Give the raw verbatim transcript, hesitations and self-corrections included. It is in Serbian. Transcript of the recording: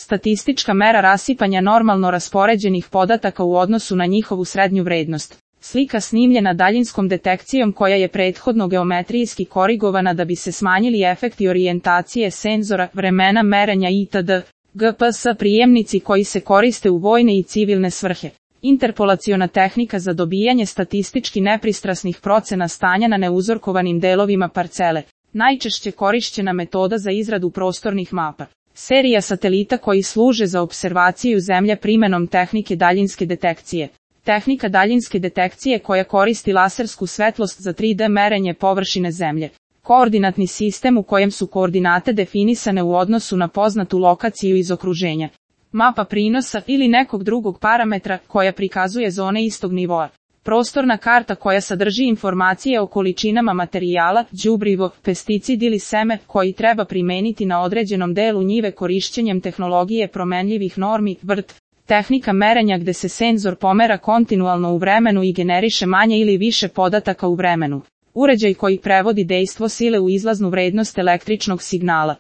Statistička mera rasipanja normalno raspoređenih podataka u odnosu na njihovu srednju vrednost. Slika snimljena daljinskom detekcijom koja je prethodno geometrijski korigovana da bi se smanjili efekti orijentacije senzora, vremena merenja itd. G P S prijemnici koji se koriste u vojne i civilne svrhe. Interpolaciona tehnika za dobijanje statistički nepristrasnih procena stanja na neuzorkovanim delovima parcele. Najčešće korišćena metoda za izradu prostornih mapa. Serija satelita koji služe za observaciju Zemlje primenom tehnike daljinske detekcije. Tehnika daljinske detekcije koja koristi lasersku svetlost za tri D merenje površine Zemlje. Koordinatni sistem u kojem su koordinate definisane u odnosu na poznatu lokaciju iz okruženja. Mapa prinosa ili nekog drugog parametra koja prikazuje zone istog nivoa. Prostorna karta koja sadrži informacije o količinama materijala, đubrivo, pesticid ili seme koji treba primeniti na određenom delu njive korišćenjem tehnologije promenljivih normi, V R T. Tehnika merenja gde se senzor pomera kontinualno u vremenu i generiše manje ili više podataka u vremenu. Uređaj koji prevodi dejstvo sile u izlaznu vrednost električnog signala.